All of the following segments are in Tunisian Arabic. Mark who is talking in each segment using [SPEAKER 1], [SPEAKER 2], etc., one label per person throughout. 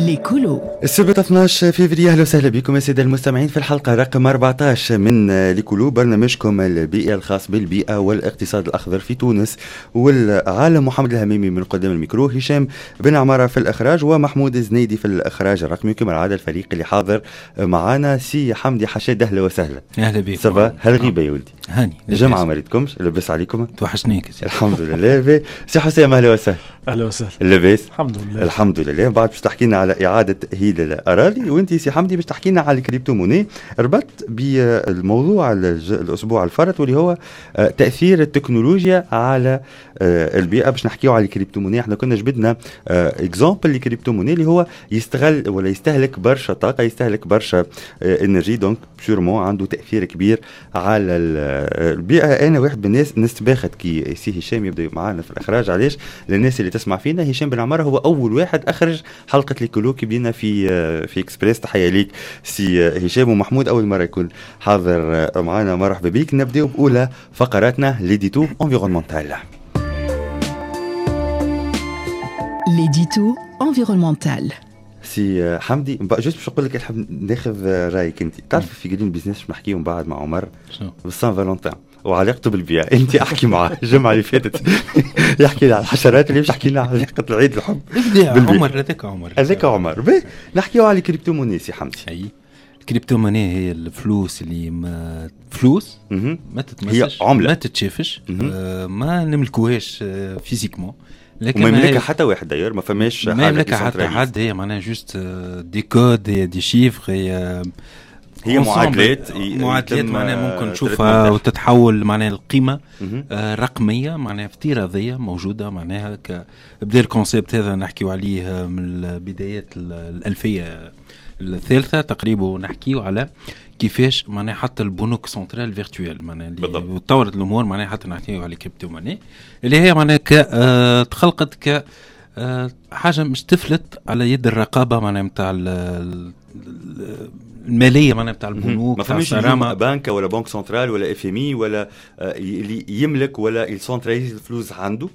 [SPEAKER 1] L'écolo.
[SPEAKER 2] السبت 12 فيفري، اهلا وسهلا بكم يا ساده المستمعين في الحلقة رقم 14 من L'écolo، برنامجكم البيئي الخاص بالبيئة والاقتصاد الاخضر في تونس والعالم. محمد الهميمي من قدام الميكرو، هشام بن عمارة في الاخراج، ومحمود الزنيدي في الاخراج الرقمي. كما العادة الفريق اللي حاضر معانا سي حمدي حشاد، اهلا وسهلا.
[SPEAKER 3] اهلا بك.
[SPEAKER 2] ça va؟ هالغيبه يا ولدي؟
[SPEAKER 3] هاني
[SPEAKER 2] جمعه ما ريتكمش، لاباس عليكم؟
[SPEAKER 3] توحشناك.
[SPEAKER 2] الحمد لله. سي حسام اهلا وسهلا.
[SPEAKER 4] اهلا وسهلا.
[SPEAKER 2] لاباس؟
[SPEAKER 4] الحمد لله.
[SPEAKER 2] الحمد لله. بعد باش تحكي لنا على اعاده تاهيل الاراضي، وانت سي حمدي باش تحكي لنا على ال crypto-monnaie، ربط بالموضوع الاسبوع الفرط واللي هو تاثير التكنولوجيا على البيئة. باش نحكيو على ال crypto-monnaie، احنا كنا جبدنا exemple ال crypto-monnaie اللي هو يستغل ولا يستهلك برشا طاقه، يستهلك برشا énergie، donc sûrement عنده تاثير كبير على البيئة. انا واحد من الناس نستباخت كي سي هشام يبدا معنا في الاخراج. علاش؟ للناس اللي تسمع فينا، هشام بن عمارة هو اول واحد اخرج حلقة L'écolo كي بدينا في اكسبريس. تحية ليك سي هشام. ومحمود اول مرة يكون حاضر معنا، مرحبا بك. نبداو باولى فقراتنا l'édito environnemental.
[SPEAKER 1] L'édito environnemental.
[SPEAKER 2] سي حمدي، juste باش نقول لك نحب ناخذ رايك انت. تعرف في Green Business باش نحكيو من بعد مع عمر بال Saint-Valentin وعلاقته بالبيئة. انت احكي معاه الجمعة اللي فاتت يحكي لنا على الحشرات، اللي باش يحكي لنا على علاقة العيد الحب.
[SPEAKER 3] عمر هذاك عمر
[SPEAKER 2] هذاك عمر. نحكيو على ال crypto-monnaie سي حمدي.
[SPEAKER 3] اي ال crypto-monnaie هي الفلوس اللي ما فلوس ما تتمسش،
[SPEAKER 2] هي عمله
[SPEAKER 3] ما تتشافش، ما نملكوهاش physiquement،
[SPEAKER 2] لكن ما يملكها حتى واحد d'ailleurs، ما فماش
[SPEAKER 3] ما يملكها حتى حد. هي معناها juste des codes، هي des chiffres،
[SPEAKER 2] هي معادلات،
[SPEAKER 3] معادلات معناها ممكن تشوفها وتتحول معناها القيمة رقمية، معناها افتراضية موجودة. معناها بدا ال concept هذا نحكيو عليه من بدايات الألفية الثالثة تقريبا، نحكيو على كيفاش معناها حتى البنوك centrales virtuelles معناها اللي تطورت الامور، معناها حتى نحكيو على crypto-monnaie اللي هي معناها تخلقت ك حاجة مش تفلت على يد الرقابة معناها نتاع المالية، معناها نتاع البنوك.
[SPEAKER 2] ما فماش بنك ولا banque centrale ولا FMI ولا اللي يملك ولا ي centralise الفلوس عنده،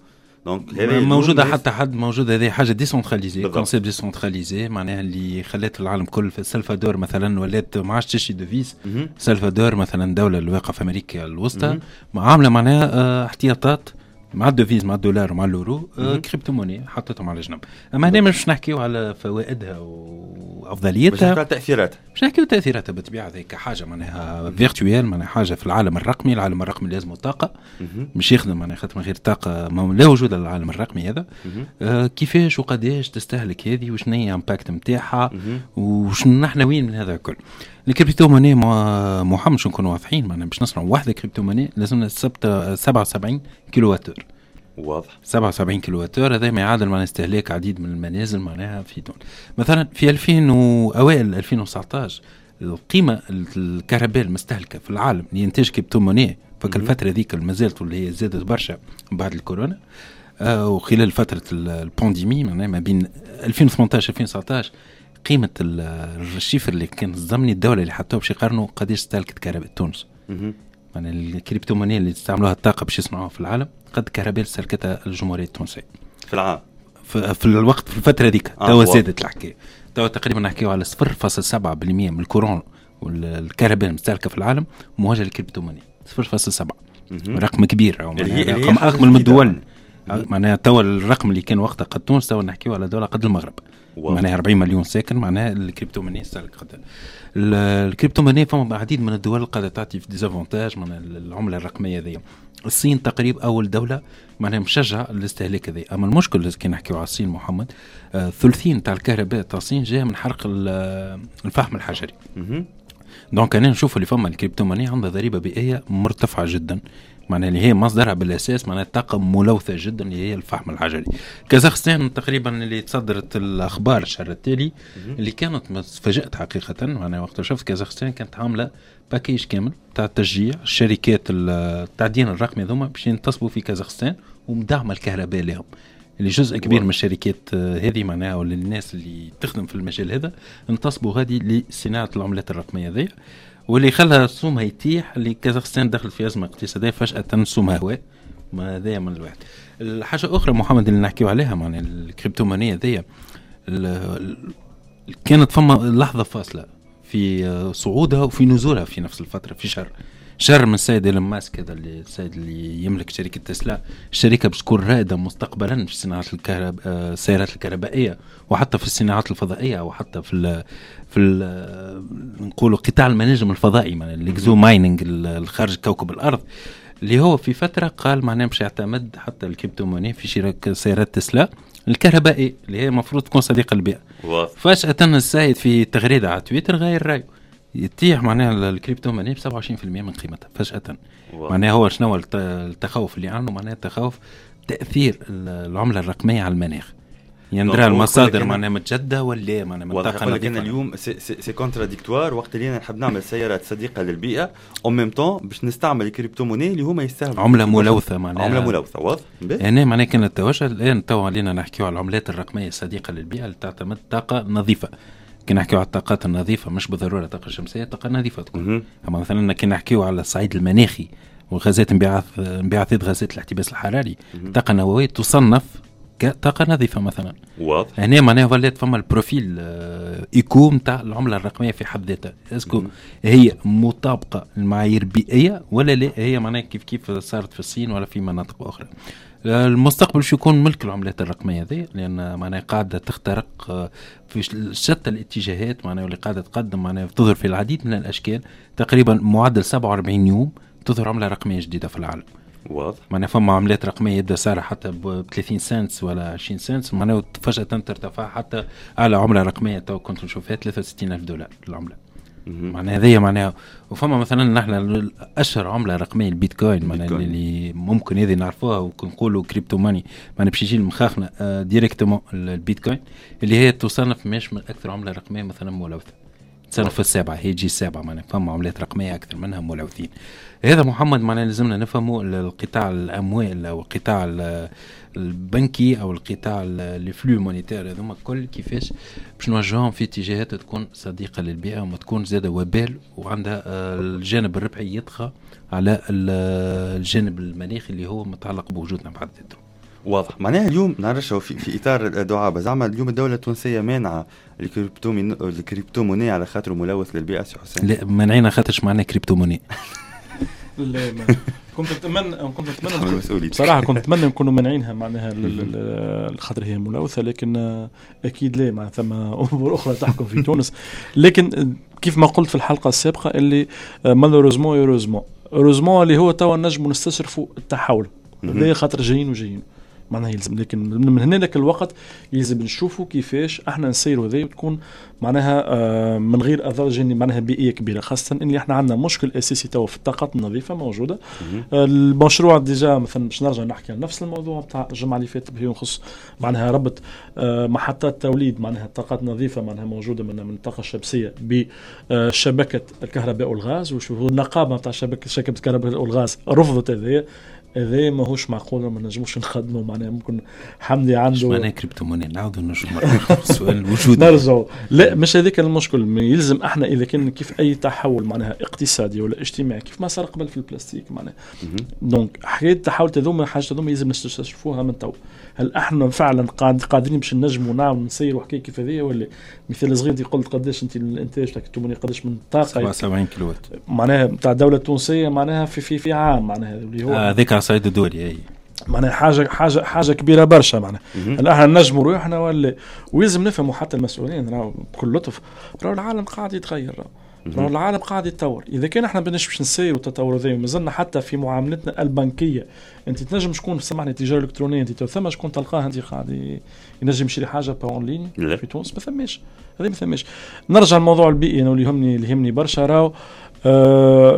[SPEAKER 2] donc
[SPEAKER 3] موجودة حتى حد موجود. هذه حاجة décentralisée، concept décentralisé معناها اللي خلت العالم كل. في السلفادور مثلا ولات ما عادش تشري devise. السلفادور مثلا دولة اللي واقعه في امريكا الوسطى عامله معناها احتياطات مع ال devise، مع الدولار ومع l'euro، crypto-monnaie حطتهم على جنب. اما هنا مش نحكيو على فوائدها وافضليتها،
[SPEAKER 2] باش نحكيو على تاثيراتها،
[SPEAKER 3] باش نحكيو تاثيراتها بالطبيعة. هذيك حاجة معناها virtuelle، معناها حاجة في العالم الرقمي. العالم الرقمي لازم طاقة مش يخدم، معناها خاطر من غير طاقة لا وجود للعالم الرقمي هذا. كيفاش وقداش تستهلك هذه، وشنو هي impact نتاعها، وشنو نحن وين من هذا الكل. ال crypto-monnaie محمد باش نكونوا واضحين، معناها باش نصنعوا واحدة crypto-monnaie لازمنا 77 كيلووات.
[SPEAKER 2] واضح.
[SPEAKER 3] 77 كيلووات هذا ما يعادل معناها استهلاك عديد من المنازل معناها في تونس. مثلا في 2000 واوائل 2019 القيمة الكهرباء المستهلكه في العالم لانتاج crypto-monnaie فك الفترة ذيك ما زالت واللي هي زادت برشا بعد الكورونا وخلال فترة ال pandémie معناها ما بين 2018 2019 قيمة ال chiffre اللي كان الزمني الدولة اللي حطوه باش يقارنوا قداش استهلكت كهرباء تونس. معناها ال crypto-monnaie اللي استعملوها الطاقة باش يصنعوها في العالم قد كهرباء استهلكتها الجمهورية التونسية
[SPEAKER 2] في العام
[SPEAKER 3] في الوقت في الفترة هذيك. توا زادت الحكاية، توا تقريبا نحكيو على 0.7% من ال courant والكهرباء المستهلكة في العالم موجهة لل crypto-monnaie، 0.7 رقم كبير، رقم أكبر من الدول. معناها توا الرقم اللي كان وقتها قد تونس، توا نحكيو على دولة قد المغرب، معناها 40 مليون ساكن. معناها ال crypto-monnaie استهلك قد ال crypto-monnaie. فما عديد من الدول قاعدة تعطي في des avantages معناها العملة الرقمية ذي. الصين تقريبا اول دولة معناها مشجعه الاستهلاك هذا. اما المشكل كي نحكيو على الصين محمد، ثلثين تاع الكهرباء تاع الصين جاية من حرق الفحم الحجري. donc انا نشوف اللي فما ال crypto-monnaie عندها ضريبة بيئية مرتفعة جدا، معناها اللي هي مصدرها بالاساس معناها طاقة ملوثة جدا اللي هي الفحم الحجري. كازاخستان تقريبا اللي تصدرت الاخبار الشهر التالي اللي كانت تفاجات حقيقة، معناها وقت شفت كازاخستان كانت عامله package كامل تاع تشجيع الشركات التعدين الرقمي هذوما باش ينتصبوا في كازاخستان ومدعمه الكهرباء لهم، اللي جزء كبير من الشركات هذه معناها ولا الناس اللي تخدم في المجال هذا انتصبوا غادي لصناعة العملات الرقمية هذه، واللي خلى سومها يتيح. اللي كازاخستان دخل في ازمة اقتصادية فجاة سومها هواء، ما هذايا من الواحد. الحاجة اخرى محمد اللي نحكيو عليها معناها ال crypto-monnaie هذيا كانت فما لحظة فاصلة في صعودها وفي نزولها في نفس الفترة، في شهر من السيد إيلون ماسك، هذا اللي السيد اللي يملك شركة تسلا، الشركة باش تكون رائدة مستقبلا في صناعة السيارات الكهربائية، وحتى في الصناعات الفضائية، وحتى في نقولوا قطاع المناجم الفضائي، معناها ال exo mining الخارج كوكب الأرض، اللي هو في فترة قال معناها باش يعتمد حتى ال crypto-monnaie في شراء سيارات تسلا الكهربائية اللي هي المفروض تكون صديقة للبيئة. فجأة السيد في تغريدة على تويتر غير رأيه، يتيح معناها ال crypto-monnaie ب 27% من قيمتها فجأة. معناها هو شنو التخوف اللي عنده؟ معناها التخوف تأثير العملة الرقمية على المناخ، يندرى المصادر معناها متجددة ولا معناها منطقة نظيفة.
[SPEAKER 2] لكن اليوم c'est contradictoire، وقت اللي انا نحب نعمل سيارات صديقة للبيئة en même temps باش نستعمل ال crypto-monnaie اللي هما يستهلكوا
[SPEAKER 3] عملة ملوثة، معناها
[SPEAKER 2] عملة ملوثة. واضح.
[SPEAKER 3] هنا معناها كان التوجه الآن تو علينا نحكيو على العملات الرقمية الصديقة للبيئة اللي تعتمد طاقة نظيفة. كي نحكيو على الطاقات النظيفة مش بالضرورة الطاقة الشمسية، طاقة نظيفة تكون. أما مثلا كي نحكيو على الصعيد المناخي والغازات انبعاثات غازات الاحتباس الحراري، الطاقة النووية تصنف كطاقة نظيفة مثلا.
[SPEAKER 2] واضح.
[SPEAKER 3] هنا معناها ولات فما ال profil éco نتاع العملة الرقمية في حد ذاتها، est-ce que هي مطابقة للمعايير البيئية ولا لا؟ هي معناها كيف صارت في الصين ولا في مناطق أخرى. المستقبل شو يكون ملك العملات الرقمية هذه، لأن معناها قاعدة تخترق في شتى الاتجاهات، معناها واللي قاعدة تقدم معناها تظهر في العديد من الأشكال. تقريبا معدل 47 يوم تظهر عملة رقمية جديدة في العالم.
[SPEAKER 2] واضح.
[SPEAKER 3] معناها فما عملات رقمية يبدا سعرها حتى ب 30 سنت ولا 20 سنت، معناها فجأة ترتفع حتى على عملة رقمية تو كنت نشوفها $63,000 العملة. معناها هذه معناها. وفما مثلا نحن اشهر عمله رقمية البيتكوين، معناها اللي ممكن هذه نعرفوها ونقولوا crypto money، معناها باش يجي لمخاخنا directement البيتكوين اللي هي تصنف مش من اكثر عمله رقمية مثلا ملوثة، تصنف السابعة، هي تجي السابعة، معناها فما عملات رقمية اكثر منها ملوثين. هذا محمد معناها لازمنا نفهموا القطاع الاموال او القطاع البنكي او القطاع les flux monétaires هذوما الكل كيفاش باش نوجههم في اتجاهات تكون صديقه للبيئة وما تكون زاده وبال وعندها الجانب الربحي يطغى على الجانب المناخي اللي هو متعلق بوجودنا بحد ذاته.
[SPEAKER 2] واضح. معناها اليوم نعرفش في اطار الدعابة، زعما اليوم الدولة التونسية مانعة ال crypto-monnaie على خاطر ملوث للبيئة سي حسين؟
[SPEAKER 3] لا مانعينها خاطرش معناها crypto-monnaie.
[SPEAKER 4] لا كنت اتمنى بصراحة كنت اتمنى نكونوا مانعينها معناها الخاطر هي ملوثة، لكن اكيد لا، معناها ثم امور اخرى تحكم في تونس. لكن كيف ما قلت في الحلقة السابقة اللي malheureusement heureusement اللي هو توا نجموا نستشرفوا التحول هذا خاطر جايين وجايين معناها يلزم، لكن من هنا لك الوقت يلزم نشوفوا كيفاش احنا نسيروا هذا وتكون معناها من غير اضرار معناها بيئية كبيرة، خاصة ان احنا عندنا مشكل اساسي توا في الطاقات النظيفة موجودة. المشروع déjà مثلا باش نرجع نحكي على نفس الموضوع نتاع الجمعة اللي فاتت اللي يخص معناها ربط محطات توليد معناها الطاقات النظيفة معناها موجودة من الطاقة الشمسية بشبكة الكهرباء والغاز، وشوفوا النقابة نتاع شبكة الكهرباء والغاز رفضت هذا ماهوش معقول، ما نجموش نخدموا معناها. ممكن حمدي عنده
[SPEAKER 3] معناها crypto-monnaie، نعاودوا نرجعوا السؤال الوجودي
[SPEAKER 4] نرجعوا. لا مش هذاك المشكل، يلزم احنا اذا كان كيف اي تحول معناها اقتصادي ولا اجتماعي كيف ما صار قبل في البلاستيك معناها، donc حكاية التحول هذوما حاجة هذوما يلزم نستشرفوها من تو. هل احنا فعلا قادرين باش نجموا نعملوا نسيروا حكاية كيف هذه ولا؟ مثال صغير انت قلت قداش انت الانتاج تاع crypto-monnaie قداش من طاقة
[SPEAKER 3] 77 كيلووات
[SPEAKER 4] معناها نتاع الدولة التونسية معناها في في في عام معناها اللي هو
[SPEAKER 3] هذاك على الصعيد الدولي، اي
[SPEAKER 4] معناها حاجة حاجة حاجة كبيرة برشا معناها. هل احنا نجموا روحنا ولا؟ ويلزم نفهموا حتى المسؤولين راهو بكل لطف، راهو العالم قاعد يتغير، راهو العالم قاعد يتطور. اذا كان احنا بنش باش نسيروا التطور هذا ومازلنا حتى في معاملتنا البنكية، انت تنجم شكون سامحني التجارة الالكترونية انت ثم شكون تلقاه انت قاعد ينجم يشري حاجة par en ligne في تونس؟ ما ثماش هذا، ما ثماش. نرجع للموضوع البيئي انا اللي يهمني برشا راهو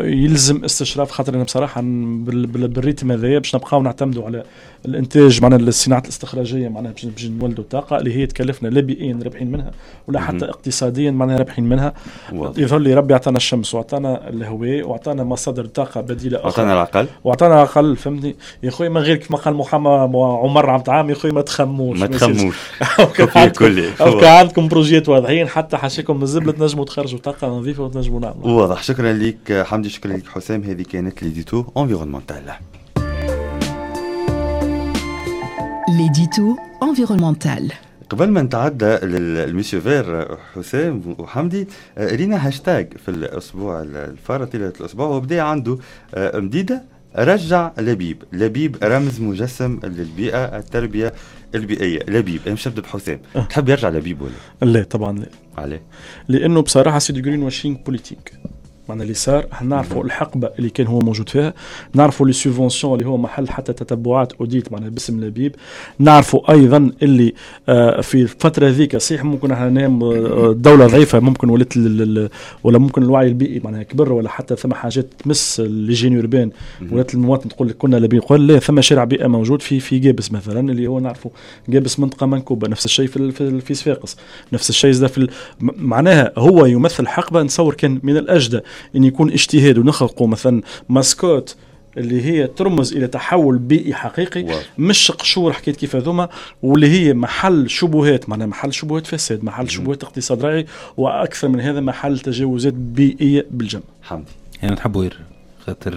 [SPEAKER 4] يلزم استشراف، خاطر انا بصراحة بال rythme هذايا باش نبقاو نعتمدوا على الانتاج معناها الصناعات الاستخراجيه معناها باش نولدوا طاقة اللي هي تكلفنا لا بيئيا رابحين منها ولا حتى اقتصاديا معناها رابحين منها. يظهر لي ربي عطانا الشمس وعطانا الهواء وعطانا مصادر طاقة بديله اخرى،
[SPEAKER 2] وعطانا العقل
[SPEAKER 4] وعطانا العقل، فهمتني يا خويا؟ من غير كما قال محمد عمر عبد العام يا خويا ما تخموش
[SPEAKER 2] ما تخموش
[SPEAKER 4] او عندكم projets واضحين حتى حاشيكم من الزبله تنجموا تخرجوا طاقة نظيفة وتنجموا نعملوا.
[SPEAKER 2] واضح. شكرا لك حمدي، شكرا لك حسام. هذه كانت l'édito environnemental.
[SPEAKER 1] L'édito environnemental.
[SPEAKER 2] قبل ما نتعدى لل monsieur vert حسام وحمدي، رينا هاشتاج في الاسبوع الفارط، طيلة الاسبوع، وبدا عنده مديدة رجع لبيب. لبيب رمز مجسم للبيئة، التربية البيئية. لبيب، انا مش نبدا بحسام، تحب يرجع لبيب ولا؟
[SPEAKER 4] لا طبعا لا.
[SPEAKER 2] عليه؟
[SPEAKER 4] لانه بصراحة c'est du greenwashing politique. معنى اللي صار احنا نعرفوا الحقبة اللي كان هو موجود فيها، نعرفوا les subventions اللي هو محل حتى تتبعات audit معناها باسم لبيب، نعرفوا ايضا اللي في الفترة ذيك صحيح ممكن احنا نام الدولة ضعيفة، ممكن ولات ولا ممكن الوعي البيئي معناها كبر، ولا حتى ثم حاجات تمس l'hygiène urbaine، ولات المواطن تقول لك كنا لبيب، قال لا ثم شارع بيئة موجود في جابس مثلا، اللي هو نعرفوا جابس منطقة منكوبه، نفس الشيء في صفاقس، نفس الشيء في معناها هو يمثل حقبة. نتصور كان من الاجدى ان يكون اجتهاد ونخلقوا مثلا mascotte اللي هي ترمز الى تحول بيئي حقيقي، مش قشور حكاية كيف هذوما، واللي هي محل شبهات، معناها محل شبهات فساد، محل شبهات اقتصاد رأي، واكثر من هذا محل تجاوزات بيئية بالجمع.
[SPEAKER 2] حمدي
[SPEAKER 3] يعني نحبوا يرجع خاطر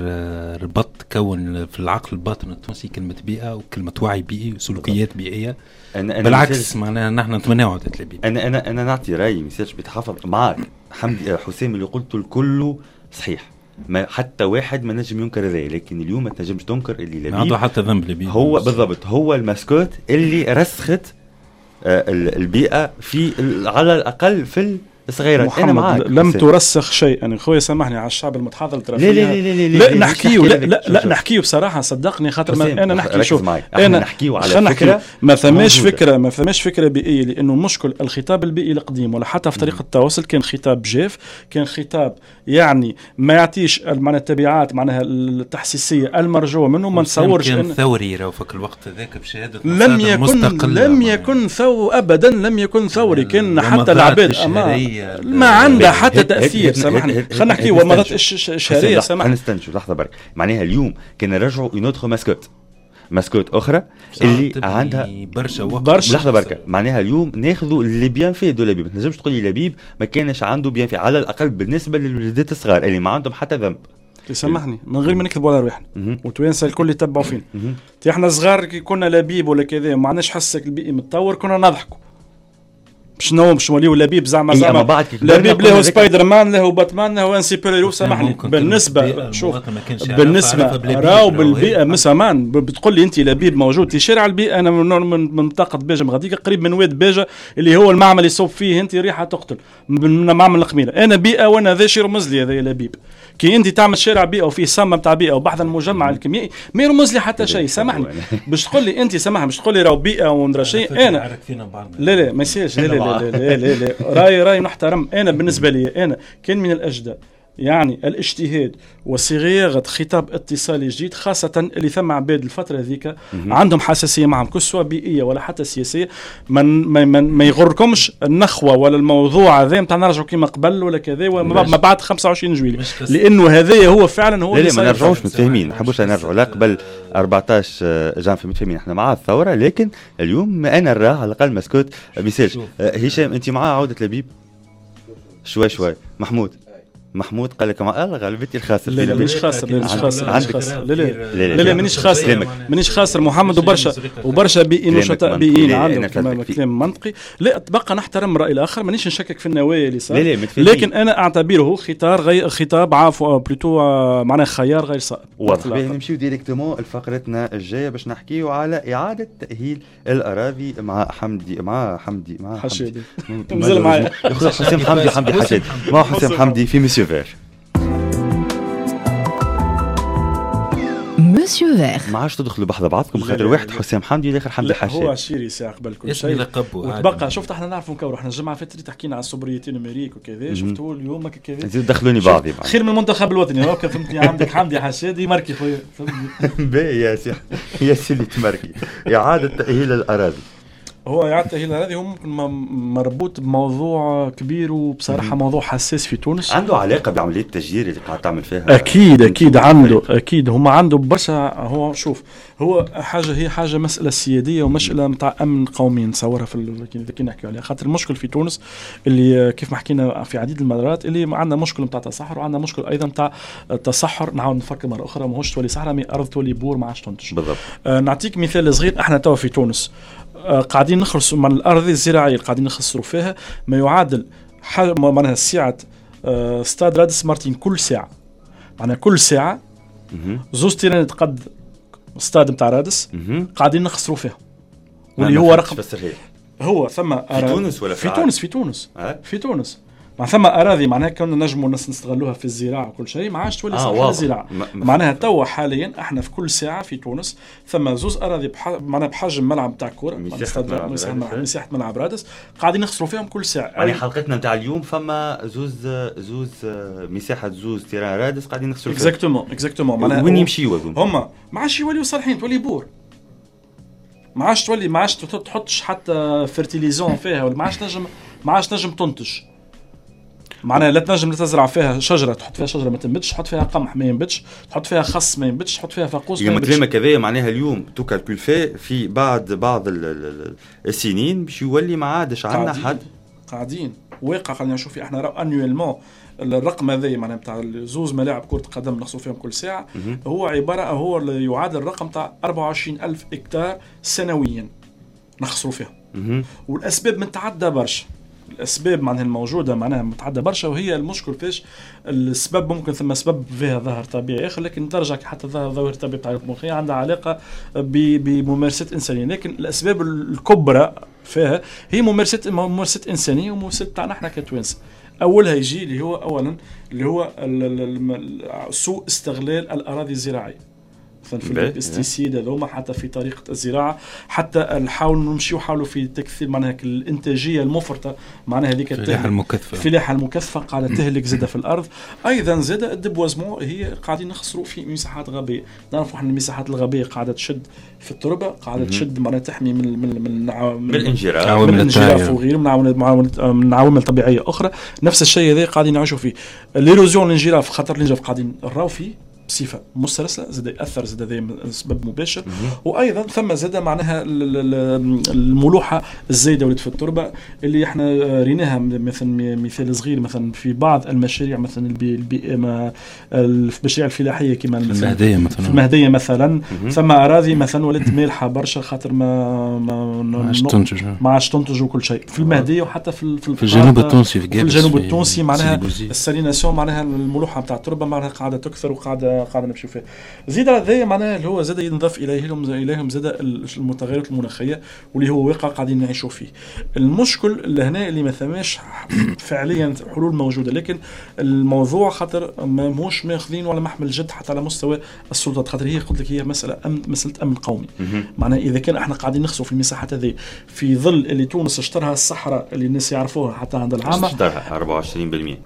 [SPEAKER 3] ربط كون في العقل الباطن التونسي كلمة بيئة وكلمه وعي بيئي وسلوكيات بيئية. أنا بالعكس معناها نحن نتمناو عودة لبيب.
[SPEAKER 2] انا نعطي رايي ما يصيرش بيتحفظ معاك حمدي حسام، اللي قلته الكل صحيح، ما حتى واحد ما نجم ينكر هذا، لكن اليوم ما تنجمش تنكر اللي لبيب
[SPEAKER 3] عنده حتى ذنب. لبيب
[SPEAKER 2] هو بالضبط هو ال mascotte اللي رسخت البيئة في على الاقل في الصغيرات.
[SPEAKER 4] انا معاك لم ترسخ شيء. انا خويا سامحني على الشعب المتحضر ترى لا لا لا لا لا نحكيو، لا لا لا نحكيو بصراحة، صدقني خاطر انا نحكي، شوف
[SPEAKER 2] انا نحكيو على فكرة
[SPEAKER 4] ما ثماش فكرة، ما ثماش فكرة بيئية، لانه مشكل الخطاب البيئي القديم ولا حتى في طريقه التواصل كان خطاب جاف، كان خطاب يعني ما يعطيش معناها التبعات معناها التحسيسيه المرجوة منه. ما نتصورش
[SPEAKER 3] كان ثوري راهو في الوقت هذاك بشهادة
[SPEAKER 4] لم يكن ثوري ابدا، لم يكن ثوري، كان حتى العباد ما عندها حتى تاثير. سامحني خلينا نحكي ومضات الشهرية، سامحني
[SPEAKER 2] نستنشوا لحظة برك. معناها اليوم كان نرجعوا une autre mascotte، mascotte اخرى اللي عندها
[SPEAKER 3] برشا وقت.
[SPEAKER 2] لحظة بركة، معناها اليوم ناخذوا les bienfaits de لبيب. ما تنجمش تقول لي لبيب ما كانش عنده bienfaits، على الاقل بالنسبة للوليدات الصغار اللي ما عندهم حتى ذنب.
[SPEAKER 4] سامحني من غير ما نكذبوا على رواحنا وتوانسه الكل يتبعوا فينا، احنا صغار كي كنا لبيب ولا كذا ما عندناش حسك البيئي متطور كنا نضحكوا شنو باش نوليو لبيب زعما زعما لبيب له سبايدر مان له باتمان له un super-héros. سامحني بالنسبة شوف بالنسبة راهو بالبيئة مسامان بتقول لي انت لبيب موجود في شارع البيئة. انا من منطقة باجه غاديك قريب من واد باجه اللي هو المعمل يصب فيه انت ريحه تقتل من معمل القميله. انا بيئة وانا ذا شي يرمز لي هذا لبيب. كي انت تعمل شارع بيئة وفيه صمه نتاع بيئة وبحث المجمع الكيميائي ما يرمز لي حتى شيء. سامحني باش تقول لي انت سامحني باش تقول لي راهو بيئة وندرى شيء. انا لا لا ما يصيرش، لا لا لا لا لا راي نحترم. انا بالنسبة لي انا كان من الاجدى يعني الاجتهاد وصياغه خطاب اتصالي جديد، خاصة اللي ثم عباد الفترة ذيك عندهم حساسية معهم كسوه بيئية ولا حتى سياسية. ما يغركمش النخوه ولا الموضوع هذا نتاع نرجعوا كيما قبل ولا كذا وما بعد 25 جويلية، لانه هذا هو فعلا هو.
[SPEAKER 2] لا لا ما نرجعوش، متفاهمين، ما نحبوش نرجعوا لا قبل 14 جانفي، متفاهمين احنا مع الثورة، لكن اليوم انا نراه على الاقل mascotte. ميسالش هشام انت معاه عوده لبيب شوي شوي. محمود قال لك مع غالبيتي الخاسر.
[SPEAKER 4] لا لا مانيش خاسر، لا مانيش خاسر، لا لا لا مانيش خاسر، مانيش خاسر محمد. وبرشا بيئيين نشطاء بيئيين عندهم كلام منطقي. لا تبقى نحترم الراي الاخر، مانيش نشكك في النوايا اللي صار، لكن انا اعتبره خطاب عفوا plutôt معناه خيار غير صائب.
[SPEAKER 2] واضح. نمشيو directement لفقرتنا الجاية باش نحكيو على اعاده تاهيل الاراضي مع حمدي مع حمدي مع
[SPEAKER 4] حشادي مازال معايا
[SPEAKER 2] حسام حمدي حشادي مع حسام حمدي في monsieur vert.
[SPEAKER 1] monsieur vert
[SPEAKER 2] ما عادش تدخلوا بحذا بعضكم خاطر واحد حسام حمدي والاخر حمدي حشاد.
[SPEAKER 4] هو عشيري ساعة قبل كل شيء وتبقى. شفت احنا نعرفوا نكوروا، احنا الجمعة فاتت تحكينا على ال sobriété numérique وكذا، شفتوا اليوم كذا
[SPEAKER 2] زيد دخلوني بعضي
[SPEAKER 4] خير من المنتخب الوطني. هاكا فهمتني، عندك حمدي حشادي marqué خويا فهمتني.
[SPEAKER 2] باهي يا سي يا سي تماركي. اعاده تاهيل الاراضي،
[SPEAKER 4] هو إعادة تأهيل الأراضي هو ممكن مربوط بموضوع كبير وبصراحة موضوع حساس في تونس،
[SPEAKER 2] عنده علاقة بعملية التشجير اللي قاعد تعمل فيها.
[SPEAKER 4] أكيد أكيد عنده، أكيد هما عنده برشا. هو شوف هو حاجة، هي حاجة مسألة سيادية ومسألة متاع أمن قومي نتصورها في كي نحكيو عليها، خاطر المشكل في تونس اللي كيف ما حكينا في عديد المرات اللي عندنا مشكل متاع تصحر، وعندنا مشكل أيضا متاع تصحر نعاود نفكر مرة أخرى ماهوش تولي صحراء mais أرض تولي بور ما عادش تنتج.
[SPEAKER 2] بالضبط.
[SPEAKER 4] نعطيك مثال صغير، احنا توا في تونس قاعدين نخسروا من الارض الزراعية قاعدين نخسروا فيها ما يعادل معناها سعة ستاد رادس مرتين كل ساعة. معناها كل ساعة زوز terrain تقد ستاد نتاع رادس قاعدين نخسروا فيها، واللي هو رقم هو ثم
[SPEAKER 2] في تونس ولا
[SPEAKER 4] في تونس؟ في تونس في تونس مع ثم اراضي معناها كنا نجموا نستغلوها في الزراعة وكل شيء ما عادش تولي صالحه للزراعة. معناها توا حاليا احنا في كل ساعة في تونس ثم زوز اراضي معناها بحجم ملعب تاع كورة، مساحة ملعب رادس، قاعدين نخسروا فيهم كل ساعة.
[SPEAKER 2] يعني حلقتنا نتاع اليوم فما زوز مساحة زوز terrain رادس قاعدين نخسروا
[SPEAKER 4] فيهم. exactement exactement. معناها
[SPEAKER 2] وين يمشيوا هذوما؟
[SPEAKER 4] هما ما عادش يوليو صالحين، تولي بور، ما عادش تولي، ما عادش تحطش حتى fertilisant فيها، ولا ما عادش تنجم تنتج. معناها لا تنجم تزرع فيها شجرة، تحط فيها شجرة ما تنبتش، تحط فيها قمح ما ينبتش، تحط فيها خس ما ينبتش، تحط فيها فاقوس ما ينبتش.
[SPEAKER 2] كلامك هذايا معناها اليوم tout calcul fait في بعض السنين باش يولي ما عادش عندنا حد
[SPEAKER 4] قاعدين واقع. خلينا نشوف احنا راه annuellement الرقم هذا معناها نتاع زوز ملاعب كره قدم نخسروا فيهم كل ساعة هو عبارة هو يعادل الرقم تاع 24000 هكتار سنويا نخسروا فيهم. والاسباب متعددة برشا، الاسباب معناها الموجودة معناها متعددة برشا، وهي المشكل فيش السبب ممكن ثم سبب فيها ظاهر طبيعي اخر، لكن ترجع حتى ظاهر طبيعي تاع المخية عندها علاقة بممارسات انسانيه، لكن الاسباب الكبرى فيها هي ممارسات انسانيه وممارسات تاعنا احنا كتوانسه. اولها يجي اللي هو اولا اللي هو سوء استغلال الاراضي الزراعية، مثلا في ال pesticides هذوما، حتى في طريقه الزراعة، حتى نحاول نمشيو حاولوا في تكثير معناها الانتاجية المفرطة، معناها هذيك الفلاحة المكثفة قاعدة تهلك زاده في الارض. ايضا زاده ال déboisement هي قاعدين نخسروا في مساحات غابيه، نعرفوا احنا المساحات الغابيه قاعدة تشد في التربة، قاعدة تشد معناها تحمي من من من
[SPEAKER 2] من الانجراف
[SPEAKER 4] وغيره من عوامل طبيعية اخرى. نفس الشيء هذا قاعدين نعيشوا فيه l'érosion الانجراف، خاطر الانجراف قاعدين نراو فيه بصفة مسترسله، زاد ياثر زاد هذا سبب مباشر. وايضا ثم زاد معناها الملوحه الزايدة ولات في التربة اللي احنا ريناها، مثلا مثال صغير مثلا في بعض المشاريع مثلا البيئة المشاريع الفلاحية كما
[SPEAKER 3] المهدية مثلا،
[SPEAKER 4] في المهدية مثلا ثم اراضي مثلا ولات مالحة برشا خاطر ما عادش تنتج وكل شيء في المهدية، وحتى في
[SPEAKER 3] الجنوب التونسي،
[SPEAKER 4] في الجنوب التونسي معناها ال salination معناها الملوحه نتاع التربة معناها قاعدة تكثر وقاعدة نمشيو فيه. زيد على ذا معناها اللي هو زاد ينضاف اليهم زاد المتغيرات المناخية واللي هو واقع قاعدين نعيشوا فيه. المشكل اللي هنا اللي ما ثماش فعليا حلول موجودة، لكن الموضوع خاطر ماهوش ماخذين ولا محمل جد حتى على مستوى السلطات، خاطر هي قلت لك هي مسالة امن، مسالة امن قومي. معناها اذا كان احنا قاعدين نخسروا في المساحات هذه في ظل اللي تونس اشترها الصحراء اللي الناس يعرفوها حتى عند العامة
[SPEAKER 2] اشترها 24%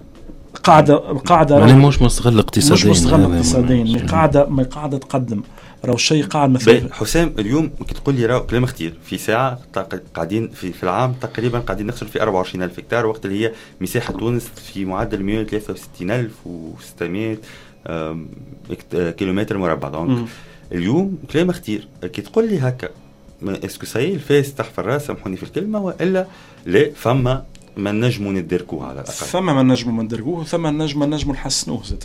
[SPEAKER 4] قاعدة
[SPEAKER 3] يعني مش مستغل اقتصاديا،
[SPEAKER 4] مش مستغل اقتصاديا، ما قاعدة تقدم راهو الشيء قاعد مثلا.
[SPEAKER 2] حسام اليوم كي تقول لي راهو كلام خطير، في ساعة قاعدين في العام تقريبا قاعدين نخسر في 24000 هكتار، وقت اللي هي مساحة تونس في معدل 163600 كيلومتر مربع. donc اليوم كلام خطير كي تقول لي هكا، est-ce que ça y est الفاس تحت الراس، سامحوني في الكلمة، والا لا فما ما نجموا ندركوه على الاقل،
[SPEAKER 4] ثم ما نجموا ندركوه، ثم نجموا نحسنوه زاد.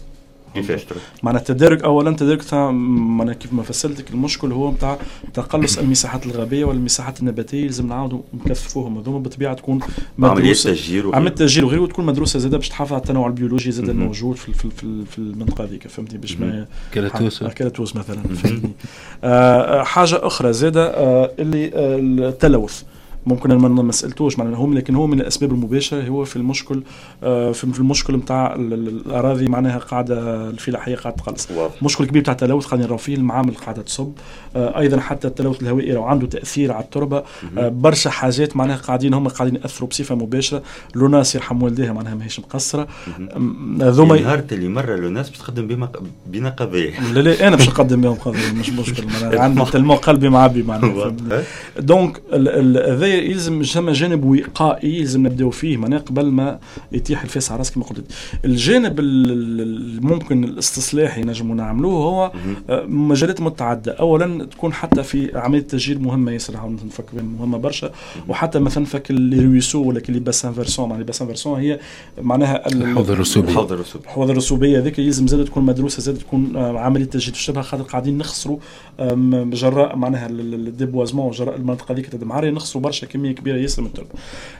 [SPEAKER 2] كيفاش؟
[SPEAKER 4] معناها التدارك اولا، تدارك تاع معناها كيف ما فسرتك المشكل هو نتاع تقلص المساحات الغابيه والمساحات النباتية، لازم نعاودوا نكثفوهم هذوما بالطبيعة، تكون
[SPEAKER 2] مدروسة
[SPEAKER 4] عملية تشجير وغيره، وتكون مدروسة زاده باش تحافظ على التنوع البيولوجي زاده الموجود في في في, في المنطقة هذيك، فهمتني؟ باش ما كالاتوس مثلا، فهمتني؟ حاجة اخرى زاده اللي التلوث ممكن ما سالتوش معناها هم، لكن هو من الاسباب المباشرة هو في المشكل في المشكل نتاع الاراضي معناها قاعدة الفلاحية قاعدة تقلص. مشكل كبير تاع التلوث قاعدين نراو فيه، المعامل قاعدة تصب، ايضا حتى التلوث الهوائي راهو عنده تاثير على التربة، برشا حاجات معناها قاعدين هم قاعدين ياثروا بصفة مباشرة. l'ONAS يرحم والديها معناها ماهيش مقصرة.
[SPEAKER 2] هذوما نهار اللي مرة l'ONAS باش تقدم بنا قضية،
[SPEAKER 4] لا لا انا باش نقدم بهم قضية مش مشكل، معناها عندي tellement قلبي معبي معناها. donc هذا يلزم ثم جانب وقائي يلزم نبداو فيه معناها قبل ما يتيح الفاس على راسك كما قلت. الجانب الممكن الاستصلاحي نجموا نعملوه هو مجالات متعددة. اولا تكون حتى في عملية التشجير مهمة ياسر، نفكر مهمة برشا، وحتى مثلا فك les ruisseaux ولا les bassins versants. معناها les bassins versants هي معناها
[SPEAKER 3] الحوض الرسوبي،
[SPEAKER 4] الحوض الرسوبيه هذيك يلزم زاد تكون مدروسة، زاد تكون عملية تشجير تشبه، خاطر قاعدين نخسروا جراء معناها ال déboisement، جراء المنطقة هذيك تدمعريه، نخسروا برشا كمية كبيرة ياسر من التربة.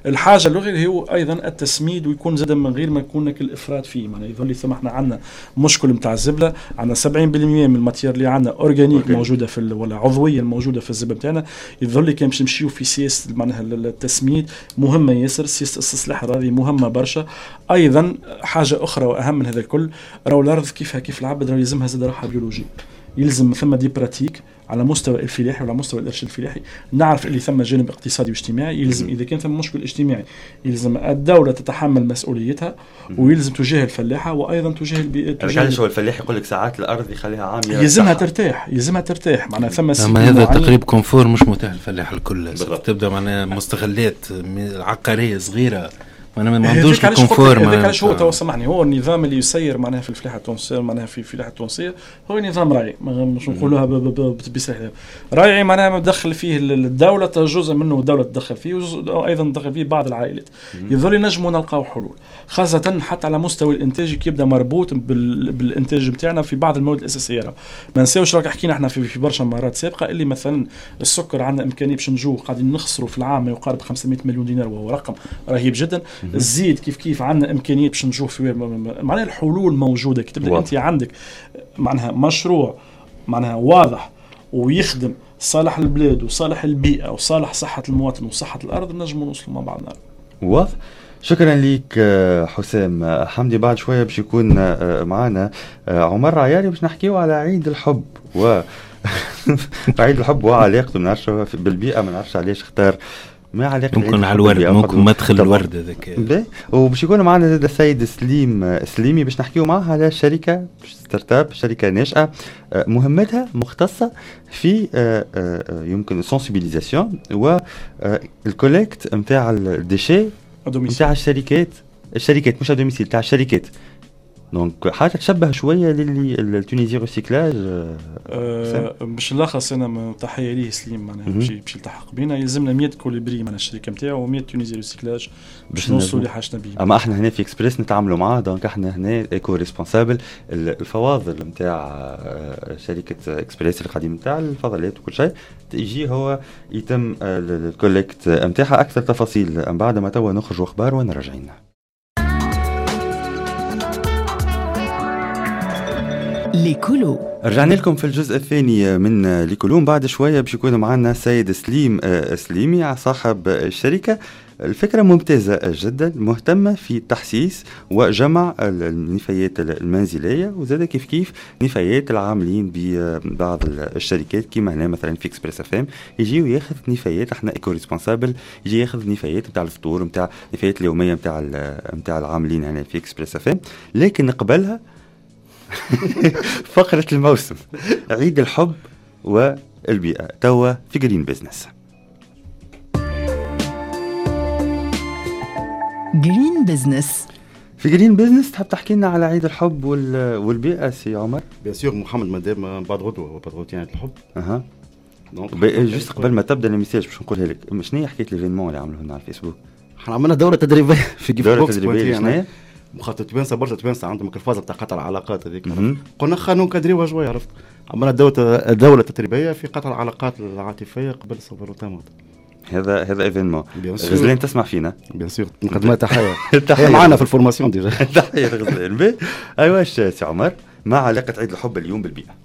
[SPEAKER 4] الحاجة الاخرى هو ايضا التسميد، ويكون زاد من غير ما يكون الافراط فيه. معناها يظل ثم احنا عندنا مشكل نتاع الزبله، عندنا 70% من ال matière اللي عندنا organique موجودة في ولا عضوية الموجودة في الزبله نتاعنا. يظل كان باش نمشيو في سياسة معناها التسميد مهمة ياسر، سياسة استصلاح الاراضي مهمة برشا. ايضا حاجة اخرى واهم من هذا الكل، راهو الارض كيفها كيف العبد، راهو يلزمها زاد راحة بيولوجية، يلزم ثم des pratiques على مستوى الفلاحي وعلى مستوى الارشاد الفلاحي. نعرف اللي ثم جانب اقتصادي واجتماعي، يلزم اذا كان ثم مشكل اجتماعي يلزم الدولة تتحمل مسؤوليتها، ويلزم تجاه الفلاحة وايضا تجاه البيئة.
[SPEAKER 2] علاش هو الفلاح يقول لك ساعات الارض يخليها عامية،
[SPEAKER 4] يلزمها ترتاح، يلزمها ترتاح معناها ثم
[SPEAKER 3] هذا تقريب confort مش متاح للفلاح الكل. تبدا معناها مستغلات عقارية صغيرة، انا ما عندوش ال confort.
[SPEAKER 4] هذاك علاش هو تو سامحني، هو النظام اللي يسير معناها في الفلاحة التونسية، معناها في الفلاحة التونسية هو نظام راعي، مش نقولوها بصراحة راعي، معناها مدخل فيه الدولة، جزء منه الدولة تدخل فيه، وجزء ايضا تدخل فيه بعض العائلات. يظل نجموا نلقاو حلول، خاصة حتى على مستوى الانتاج كي يبدا مربوط بالانتاج نتاعنا في بعض المواد الاساسية. ما نساوش راك حكينا احنا في برشا مرات سابقه اللي مثلا السكر عندنا امكانية باش نجو قاعدين نخسروا في العام ما يقارب 500 مليون دينار، وهو رقم رهيب جدا. الزيت كيف كيف عندنا امكانية باش نشوف في معناها الحلول موجودة. كي تبدا انت عندك معناها مشروع معناها واضح ويخدم صالح البلاد وصالح البيئة وصالح صحة المواطن وصحة الارض، نجموا نوصلوا مع بعضنا.
[SPEAKER 2] واضح. شكرا لك حسام حمدي. بعد شوية باش يكون معنا عمر عياري باش نحكيو على عيد الحب و عيد الحب وعلاقته ما نعرفش بالبيئة، ما نعرفش علاش اختار ما علاقة
[SPEAKER 3] ممكن على الورد، ممكن مدخل الورد هذاك.
[SPEAKER 2] وباش يكون معنا زاد السيد سليم سليمي باش نحكيو معاه على شركة startup، شركة ناشئة مهمتها مختصة في يمكن sensibilisation وال collecte نتاع ال déchets نتاع الشركات مش à domicile، تاع الشركات. donc حاجة تشبه شوية للي ال Tunisie Recyclage.
[SPEAKER 4] باش نلخص انا تحية ليه سليم معناها باش يلتحق بينا، يلزمنا 100 Colibri معناها الشركة نتاعو و100 Tunisie Recyclage باش نوصلوا اللي حاجتنا بيه.
[SPEAKER 2] اما احنا هنا في اكسبريس نتعاملوا معاه، donc احنا هنا éco-responsable. الفواضل نتاع شركة اكسبريس القديم نتاع الفضلات وكل شيء يجي هو يتم ال collecte نتاعها. اكثر تفاصيل من بعد ما توا نخرجوا اخبار ونراجعين.
[SPEAKER 1] l'écolo.
[SPEAKER 2] رجعنا لكم في الجزء الثاني من l'écolo. بعد شوية باش يكون معنا السيد سليم سليمي صاحب الشركة. الفكرة ممتازة جدا، مهتمة في تحسيس وجمع النفايات المنزلية وزاد كيف كيف نفايات العاملين ببعض الشركات كيما هنا مثلا في اكسبريس اف ام يجي وياخذ نفايات، احنا éco-responsable يجي ياخذ نفايات نتاع الفطور نتاع النفايات اليومية نتاع العاملين هنا في اكسبريس اف ام. لكن قبلها فقرة الموسم عيد الحب والبيئة توا في Green Business.
[SPEAKER 1] Green Business.
[SPEAKER 2] في Green Business تحب تحكي لنا على عيد الحب والبيئة سي عمر؟
[SPEAKER 5] bien sûr محمد، مادام بعد غدوة يعني عيد الحب.
[SPEAKER 2] اها juste قبل ما تبدا ال message باش نقولها لك، شنو هي حكاية l'événement اللي عملوه لنا على الفيسبوك؟
[SPEAKER 5] احنا عملنا دورة تدريبية في Gift Box. مخاطر توانسة برشا توانسة عندهم الفازة بتاع قطع العلاقات هذيك، قلنا خلينا نكادريوها شوية، عرفت؟ عملنا دولة تدريبية في قطع العلاقات العاطفية قبل Saint-Valentin.
[SPEAKER 2] هذا événement. غزلان تسمع فينا؟
[SPEAKER 5] bien sûr، نقدم لها تحية. تحية معنا في ال formation déjà.
[SPEAKER 2] تحية غزلان. ايوا سي عمر، ما علاقة عيد الحب اليوم بالبيئة؟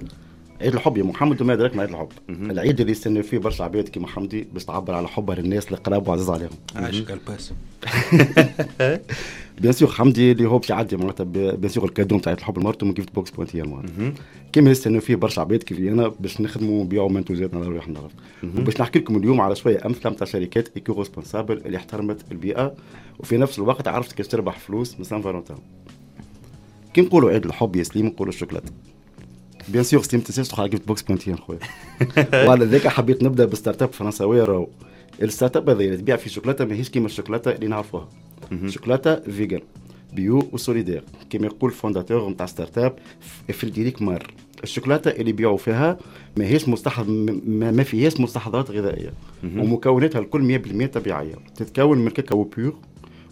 [SPEAKER 5] عيد الحب يا محمد وما ادراك ما عيد الحب. العيد اللي يستنى فيه برشا عباد كيما حمدي باش تعبر على حبها للناس اللي قراب وعزاز عليهم.
[SPEAKER 3] عايشك الباس.
[SPEAKER 5] bien sûr حمدي اللي هو باش يعدي معناتها bien sûr ال cadeau نتاع عيد الحب لمرته من Gift Box point tn معناتها. كيما يستنوا فيه برشا عباد كيف انا باش نخدموا ونبيعوا منتوجاتنا على رواحنا. وباش نحكي لكم اليوم على شوية امثلة نتاع شركات éco-responsables اللي احترمت البيئة وفي نفس الوقت عرفت كيفاش تربح فلوس من Saint-Valentin. كي نقولوا عيد الحب يا سليم نقولوا الشوكولاتة. bien sûr سليم تنساش تدخل على Gift Box point tn خويا. وعلى ذاك حبيت نبدا ب startup فرنساويه راهو ال startup هذه اللي تبيع في شوكولاتة ماهيش كيما الشوكولاتة اللي نعرفوها. شوكولاتة vegan bio و solidaire كما يقول fondateur نتاع startup فريدريك مار. الشوكولاتة اللي يبيعوا فيها ماهيش ما فيهاش مستحضرات غذائية، ومكوناتها الكل 100% طبيعية، تتكون من كاكاو pur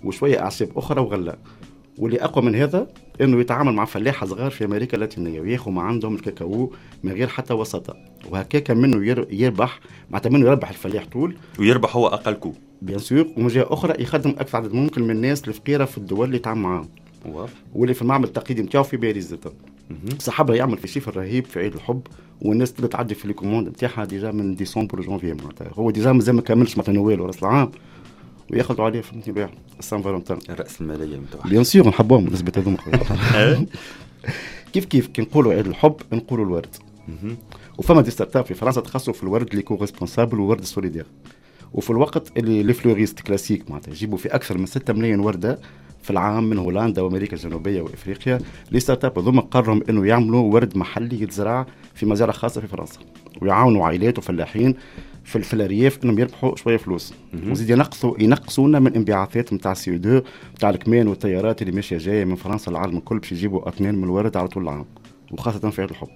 [SPEAKER 5] وشوية اعشاب اخرى وغله. واللي اقوى من هذا انه يتعامل مع فلاحة صغار في امريكا اللاتينية وياخذ ما عندهم الكاكاو من غير حتى وساطة، وهكاك منه يربح، معناتها منه يربح الفلاح طول
[SPEAKER 2] ويربح هو اقل coût
[SPEAKER 5] bien sûr، ومن جهة اخرى يخدم اكثر عدد ممكن من الناس الفقيرة في الدول اللي يتعامل معاهم واللي في المعمل التقليدي نتاعو في باريس زاد. صاحبها يعمل في chiffre رهيب في عيد الحب، والناس تبدا تعدي في les commandes نتاعها déjà من ديسمبر وجونفي، معناتها هو déjà مازال ما كملش معناتها نويل وراس العام وياخذوا عليه فهمتني بيع Saint-Valentin.
[SPEAKER 2] الراس المالية نتاعها
[SPEAKER 5] bien sûr نحبوهم بالنسبة هذوما. كيف كيف كي نقولوا عيد الحب نقولوا الورد. وفما des startups في فرنسا تخصصوا في الورد l'éco-responsable وورد solidaire. وفي الوقت اللي les fleuristes classiques معناتها يجيبوا في اكثر من 6 ملايين ورده في العام من هولندا وامريكا الجنوبية وافريقيا، les startups هذوما قرروا انه يعملوا ورد محلي يتزرع في مزارع خاصة في فرنسا، ويعاونوا عائلات وفلاحين في الارياف انهم يربحوا شوية فلوس، وزيد ينقصونا من انبعاثات نتاع CO2 نتاع الكمان والطيارات اللي ماشية جاية من فرنسا للعالم الكل باش يجيبوا اطنان من الورد على طول العام وخاصة في عيد الحب.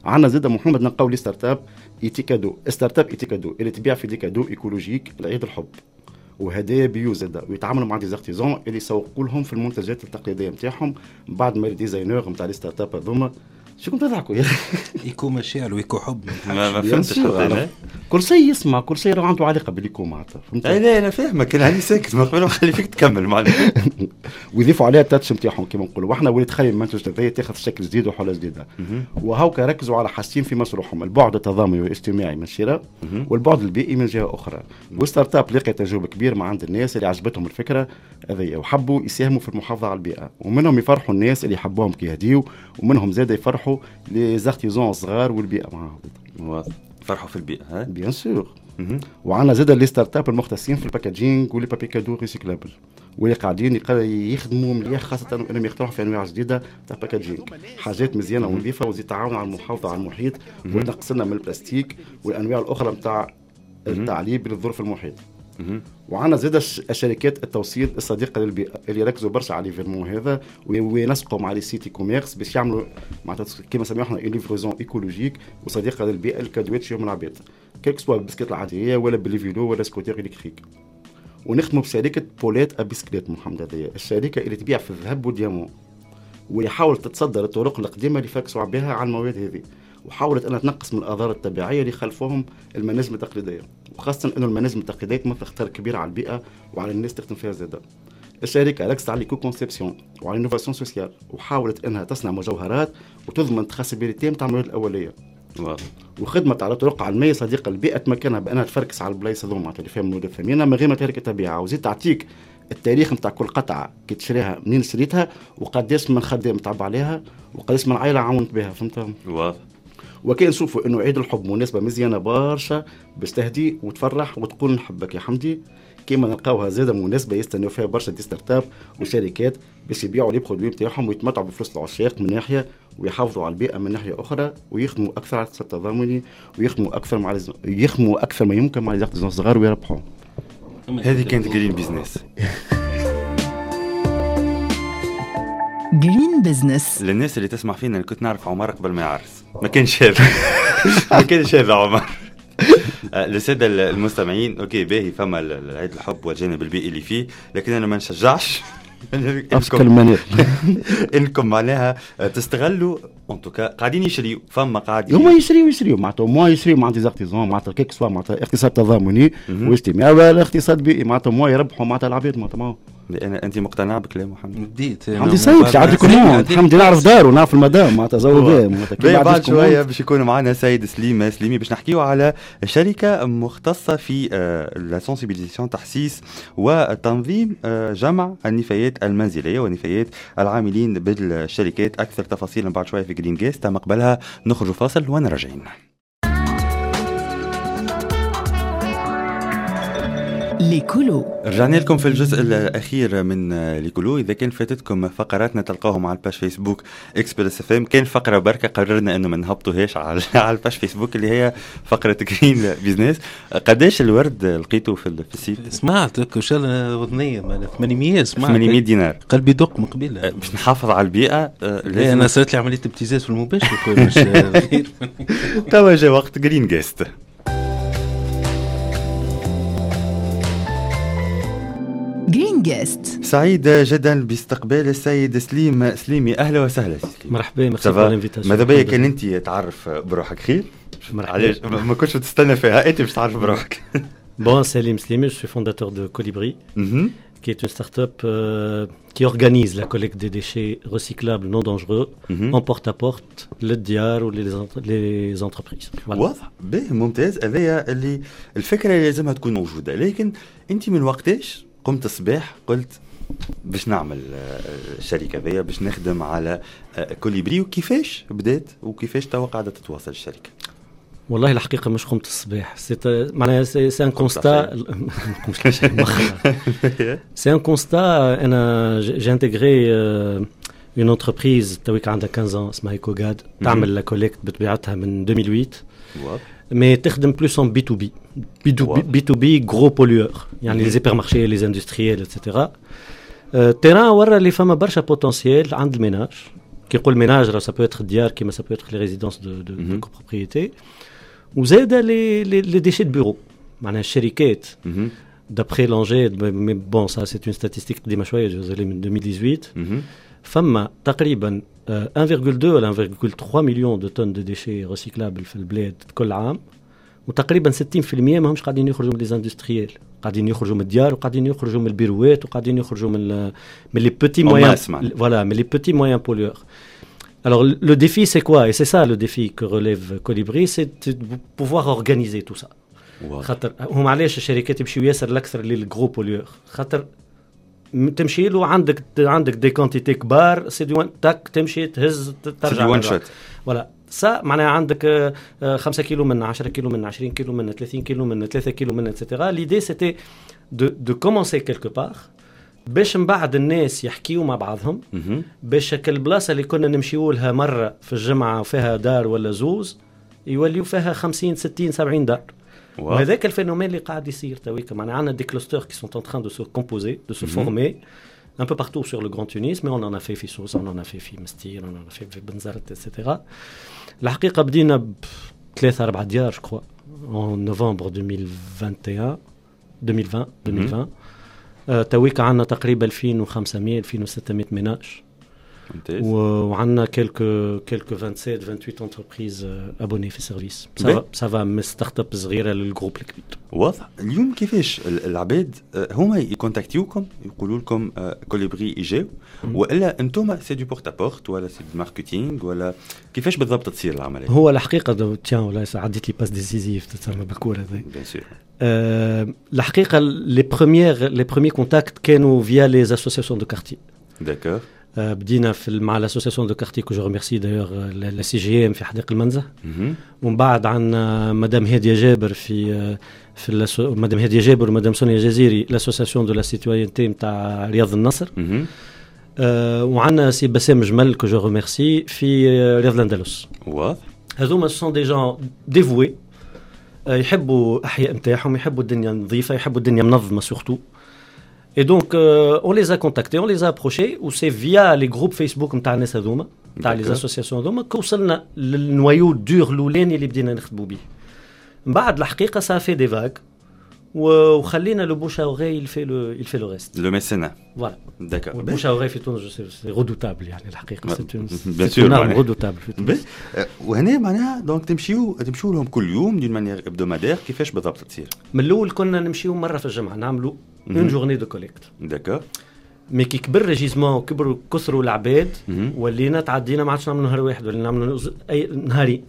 [SPEAKER 5] عندنا زاد محمد نلقاو les startups Ethicadeaux، startup Ethicadeaux اللي تبيع في des cadeaux écologiques لعيد الحب وهدايا bio زاده، ويتعاملوا مع des artisans اللي يسوقوا لهم في المنتجات التقليدية نتاعهم بعد ما les designers نتاع les startups هذوما. شكون تضحكوا يا اخي؟
[SPEAKER 3] éco مشاعر و éco حب
[SPEAKER 2] ما فهمتش حتى
[SPEAKER 5] كل شيء يسمع كل شيء راه عنده علاقة بال éco معناتها، فهمت؟
[SPEAKER 2] لا انا فاهمك، انا هاني ساكت ما قبل نخلي فيك تكمل معناتها.
[SPEAKER 5] ويضيفوا عليها ال touche نتاعهم كيما نقولوا احنا، واللي تخلي المنتج هذايا تاخذ شكل جديد وحله جديدة. وهوكا ركزوا على حاجتين في مشروعهم، البعد التضامني والاجتماعي من شراء والبعد البيئي من جهة اخرى. وال startup لقى تجاوب كبير مع عند الناس اللي عجبتهم الفكرة هذيا وحبوا يساهموا في المحافظة على البيئة، ومنهم يفرحوا الناس اللي يحبوهم كي يهديوا، ومنهم زاد يفرحوا les artisans الصغار والبيئة معاهم.
[SPEAKER 2] واضح فرحوا في البيئة
[SPEAKER 5] bien sûr. وعندنا زاد les startups المختصين في ال packaging و les papiers cadeaux recyclables، واللي قاعدين يخدموا مليح خاصة انهم يخترعوا في انواع جديدة تاع packaging، حاجات مزيانه ونظيفه وزيد تعاون على المحافظة على المحيط وتنقص لنا من البلاستيك والانواع الاخرى نتاع التعليب للظروف المحيط. وعندنا زاد الشركات التوصيل الصديقة للبيئة اللي ركزوا برشا على l'événement هذا وينسقوا مع les sites e-commerce باش يعملوا معناتها كيما سميوها احنا livraison écologique وصديقه للبيئة الكادوات يوم العباد، que ce soit بالبسكليت العادية ولا بال vélo ولا scooter électrique. ونخدموا بشركه Paulette à bicyclette محمد، هذه الشركة اللي تبيع في الذهب وال diamant، ويحاول تتصدر الطرق القديمة اللي فاكسوا بها على المواد هذه، وحاولت انها تنقص من الاضرار الطبيعية اللي خلفوهم المناجم التقليدية، وخاصة انه المناجم التقليدية تمثل خطر كبير على البيئة وعلى الناس تخدم فيها زاده. الشركة ركزت على l'éco-conception وعلى l'innovation sociale، وحاولت انها تصنع مجوهرات وتضمن traçabilité نتاع المواد الاولية. وخدمت على طرق علمية صديقه للبيئة تمكنها بانها تفركس على البلايص هذوما اللي فيها المواد الثمينة من غير ما تهلك الطبيعة، وزيد تعطيك التاريخ نتاع كل قطعه كي تشريها منين شريتها وقداش من خدام تعب عليها وقداش من عائلة عاونت بها، فهمت؟
[SPEAKER 2] واضح.
[SPEAKER 5] وكان نشوفوا انه عيد الحب مناسبة مزيانه برشا باش تهدي وتفرح وتقول نحبك يا حمدي، كيما نلقاوها زاده مناسبة يستناو فيها برشا des startups وشركات باش يبيعوا les produits نتاعهم ويتمتعوا بفلوس العشاق من ناحية ويحافظوا على البيئة من ناحية اخرى، ويخدموا اكثر على الاقتصاد التضامني ويخدموا اكثر مع يخدموا اكثر ما يمكن مع les artisans الصغار ويربحوا.
[SPEAKER 2] هذه كانت Green Business.
[SPEAKER 1] Green Business
[SPEAKER 2] للناس اللي تسمع فينا، اللي كنت نعرف عمر قبل ما يعرس ما كانش هذا ما كانش هذا عمر. للسادة المستمعين okay باهي، فما العيد الحب والجانب البيئي اللي فيه، لكن انا ما نشجعش انكم معناها تستغلوا en tout cas قاعدين يشريوا، فما قاعدين
[SPEAKER 5] هما يشريوا معناتها ما يشريوا مع des artisans معناتها que ce soit معناتها اقتصاد تضامني واجتماعي ولا اقتصاد بيئي معناتها ما يربحوا معناتها العباد معناتها.
[SPEAKER 2] انت مقتنع بكلام محمد؟
[SPEAKER 3] بديت
[SPEAKER 5] حمدي سيد عندي commande، حمدي نعرف داره ونعرف المدام معناتها زوجة معناتها.
[SPEAKER 2] بعد شوية باش يكون معنا سيد سليم سليمي باش نحكيو على شركة مختصة في la sensibilisation، تحسيس وتنظيم جمع النفايات المنزلية ونفايات العاملين بالشركات. اكثر تفاصيل بعد شوية في Green Guest، تم قبلها نخرج فاصل ونراجعين.
[SPEAKER 1] l'écolo.
[SPEAKER 2] رجعنا لكم في الجزء الاخير من l'écolo. اذا كان فاتتكم فقراتنا تلقاهم على ال page Facebook Express FM. كان فقره بركة قررنا انه ما نهبطوهاش على ال page Facebook اللي هي فقره Green Business. قداش الورد لقيته في ال site؟
[SPEAKER 3] سمعتك ان شاء الله وذنيه 800، سمعت
[SPEAKER 2] 800 دينار،
[SPEAKER 3] قلبي دق من قبيلة.
[SPEAKER 2] باش نحافظ على البيئة.
[SPEAKER 3] لا انا صارت لي عملية ابتزاز في المباشر.
[SPEAKER 2] توا جا وقت Green Guest.
[SPEAKER 1] Green Guest.
[SPEAKER 2] سعيد جدا باستقبال السيد سليم سليمي. اهلا وسهلا سي سليم.
[SPEAKER 6] مرحبا، merci pour l'invitation.
[SPEAKER 2] ماذا بيا كان انت تعرف بروحك خير.
[SPEAKER 6] مرحبا.
[SPEAKER 2] علاش ما كنتش تستنى فيها، انت باش تعرف بروحك.
[SPEAKER 6] Bon, Salim Slimi, je suis fondateur de Colibri, qui est une start-up qui organise la collecte des déchets recyclables non dangereux en porte-à-porte, للديار ou les entreprises.
[SPEAKER 2] Voilà. واضح، باهي ممتاز. هذايا اللي الفكرة اللي لازمها تكون موجودة. لكن انت من وقتاش قمت الصباح قلت باش نعمل الشركة ذي، باش نخدم على كوليبري، وكيفاش بدات وكيفاش توا قاعدة تتواصل الشركة؟
[SPEAKER 6] والله الحقيقة مش قمت الصباح، معناها c'est un constat، c'est un constat. انا j'ai intégré une entreprise تويك عندها 15 اسمها ايكوغاد، تعمل la collecte بطبيعتها من 2008، mais تخدم plus en B to B، B to B gros pollueurs، يعني les hypermarchés، les industriels، et cetera. Terrain ورا اللي فما برشا potentiel عند ال ménages. كي نقول ménage راه ça peut être ديار كيما ça peut être les résidences de copropriété، وزاد les déchets de bureau، معناها الشركات. D'après l'ANGED، mais bon ça c'est une statistique قديمة شوية، désolé، من 2018، فما تقريبا 1,2 ولا 1,3 million de tonnes de déchets recyclables في البلاد كل عام، وتقريبا 60% ما همش قاعدين يخرجوا من les industriels، قاعدين يخرجوا من الديار وقاعدين يخرجوا من البيروات وقاعدين يخرجوا من les petits moyens، voilà، من les petits moyens pollueurs. Alors le défi c'est quoi؟ Et c'est ça le défi que relève Colibri, c'est de pouvoir organiser tout ça. خاطر هم علاش الشركات يمشيو ياسر الاكثر لل gros pollueurs؟ خاطر تمشي له عندك des quantités كبار، c'est du tac، تمشي تهز ترجع.
[SPEAKER 2] One shot.
[SPEAKER 6] Voilà ça، معناها عندك 5 كيلو من 10 كيلو من 20 كيلو من 30 كيلو من 3 كيلو من et cetera. L'idée c'était de commencer quelque part باش من بعد الناس يحكيوا مع بعضهم، باش البلاصة اللي كنا نمشيو لها مرة في الجمعة وفيها دار ولا زوز يوليو فيها 50 60 70 دار. وهذاك ال phénomène اللي قاعد يصير تويك، معناها عندنا des clusters qui sont en train de se composer، de se former un peu partout sur le Grand Tunis, mais on en a fait في سوسة، on en a fait في مستير، on en a fait في بنزرت، etc. الحقيقة بدينا بثلاثة أربعة ديار je crois en novembre 2021 2020 2020. تويك عندنا تقريبا 2500 2600 ménages، وعندنا quelques 27 28 entreprises abonnées في service. Ça va من start-up صغيرة لل groupe الكبير.
[SPEAKER 2] واضح. اليوم كيفاش العباد هما يكونتاكتيوكم يقولوا لكم كوليبري يجاو، والا انتم c'est du porte-à-porte ولا c'est du marketing، ولا كيفاش بالضبط تصير العملية؟
[SPEAKER 6] هو الحقيقة tiens ولا عديت les passes décisives تسمى بالكورة هذه.
[SPEAKER 2] Bien sûr.
[SPEAKER 6] الحقيقة les premiers contacts كانوا via les associations de quartier.
[SPEAKER 2] D'accord.
[SPEAKER 6] بدينا في مع l'association de quartier que je remercie d'ailleurs، la CGM في حدائق المنزه، ومن بعد عندنا مدام هادية جابر في مدام هادية جابر ومدام سونيا جزيري، l'association de la citoyenneté نتاع رياض النصر، وعندنا سي بسام جمل que je remercie في رياض الاندلس.
[SPEAKER 2] واضح.
[SPEAKER 6] هذوما sont des gens dévoués، يحبوا احياء نتاعهم، يحبوا الدنيا نظيفة، يحبوا الدنيا منظمة surtout. Et donc, on les a contactés, on les a approchés, ou c'est via les groupes Facebook نتاع الناس هذوما، نتاع les associations هذوما، كوصلنا لل noyau dur الاولاني اللي بدينا نخدموا به. من بعد الحقيقة ça fait des vagues، وخلينا le bouche à oreille il fait le reste.
[SPEAKER 2] Le mécénat.
[SPEAKER 6] Voilà.
[SPEAKER 2] D'accord.
[SPEAKER 6] ال bouche à oreille في تونس c'est redoutable، يعني الحقيقة c'est une arme redoutable في تونس.
[SPEAKER 2] وهنا معناها donc تمشيو لهم كل يوم d'une manière hebdomadaire، كيفاش بالضبط تصير؟
[SPEAKER 6] من الاول كنا نمشيو مرة في الجمعة، نعملوا une journée de collecte.
[SPEAKER 2] D'accord.
[SPEAKER 6] Mais كي كبر le gisement وكبروا كثروا العباد، ولينا تعدينا ما عادش نعملوا نهار واحد، ولينا نعملوا اي نهارين.